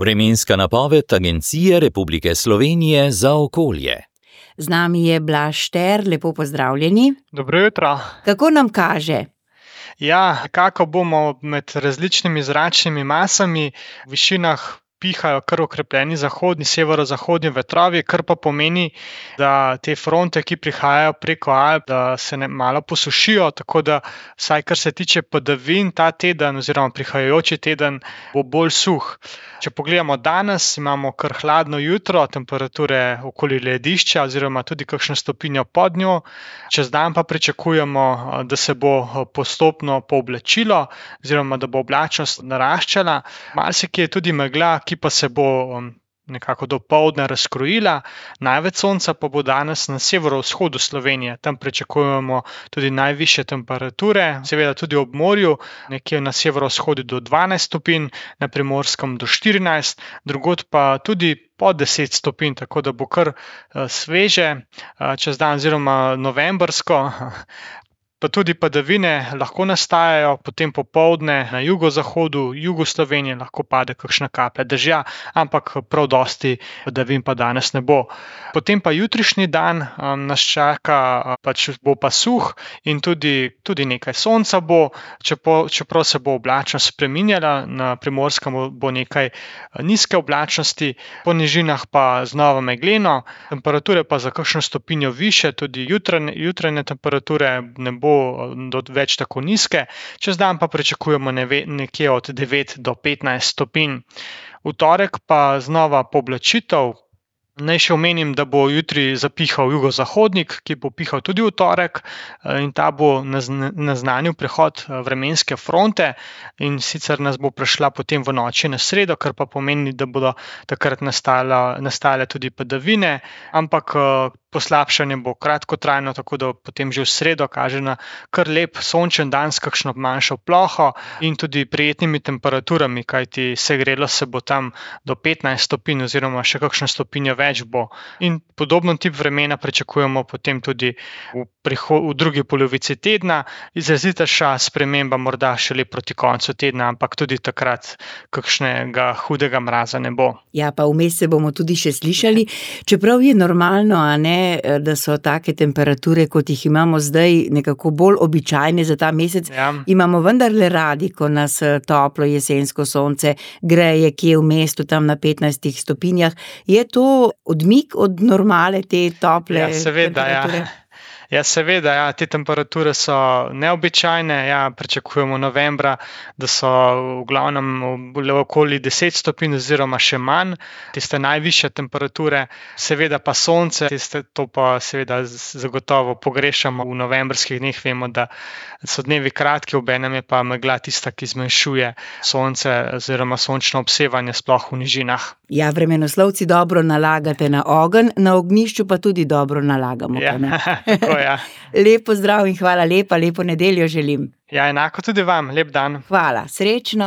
Vremenska napoved Agencije Republike Slovenije za okolje. Z nami je Blaž Šter, lepo pozdravljeni. Dobro jutro. Kako nam kaže? Ja, kako bomo med različnimi zračnimi masami v višinah pihajo kar okrepljeni zahodni, severozahodni vetrovi, kar pa pomeni, da te fronte, ki prihajajo preko Alp, da se malo posušijo, tako da vsaj kar se tiče padavin, ta teden oziroma prihajajoči teden bo bolj suh. Če pogledamo danes, imamo kar hladno jutro, temperature okoli ledišča oziroma tudi kakšno stopinjo pod njo. Čez dan pa pričakujemo, da se bo postopno pooblačilo oziroma da bo oblačnost naraščala. Marsikje je tudi megla, ki pa se bo nekako dopoldne razkrojila. Največ sonca pa bo danes na severovzhodu Slovenije. Tam pričakujemo tudi najvišje temperature, seveda tudi ob morju, nekje na severovzhodu do 12 stopinj, na Primorskem do 14, drugod pa tudi po 10 stopinj, tako da bo kar sveže čez dan oziroma novembrsko. Pa tudi padavine lahko nastajajo, potem popoldne na jugozahodu, jugu Slovenije lahko pade kakšna kaplja dežja, ampak prav dosti padavin pa danes ne bo. Potem pa jutrišnji dan nas čaka, bo pa suh in tudi nekaj sonca bo, čeprav se bo oblačnost spreminjala, na Primorskem bo nekaj nizke oblačnosti, po nižinah pa znova megleno, temperature pa za kakšno stopinjo više, tudi jutranje temperature ne bo več tako nizke, čez dan pa pričakujemo nekje od 9 do 15 stopinj. V torek pa znova pooblačitev. Naj še omenim, da bo jutri zapihal jugozahodnik, ki bo pihal tudi v torek in ta bo naznanil prehod vremenske fronte in sicer nas bo prešla potem v noči na sredo, kar pa pomeni, da bodo takrat nastale tudi padavine, ampak poslabšanje bo kratkotrajno, tako da potem že v sredo kaže na kar lep sončen dan s kakšno manjšo ploho in tudi prijetnimi temperaturami, kajti segrelo se bo tam do 15 stopinj oziroma še kakšno stopinjo več bo. In podobno tip vremena pričakujemo potem tudi v drugi polovici tedna, izrazitejša sprememba morda šele proti koncu tedna, ampak tudi takrat kakšnega hudega mraza ne bo. Ja, pa vmes se bomo tudi še slišali, čeprav je normalno, a ne, da so take temperature, kot jih imamo zdaj, nekako bolj običajne za ta mesec. Ja. Imamo vendarle radi, ko nas toplo jesensko sonce greje kje v mestu, tam na 15 stopinjah. Je to odmik od normale, te tople temperature? Ja, seveda, te temperature so neobičajne, pričakujemo novembra, da so v glavnem okoli 10 stopinj oziroma še manj, tiste najvišje temperature, seveda pa sonce, to pa seveda zagotovo pogrešamo v novembrskih dneh, vemo, da so dnevi kratki, obenem je pa megla tista, ki zmanjšuje sonce oziroma sončno obsevanje sploh v nižinah. Ja, vremenoslovci dobro nalagate na ogenj, na ognjišču pa tudi dobro nalagamo. Ja, tako ja. Lep pozdrav in hvala lepa, lepo nedeljo želim. Ja, enako tudi vam, lep dan. Hvala, srečno.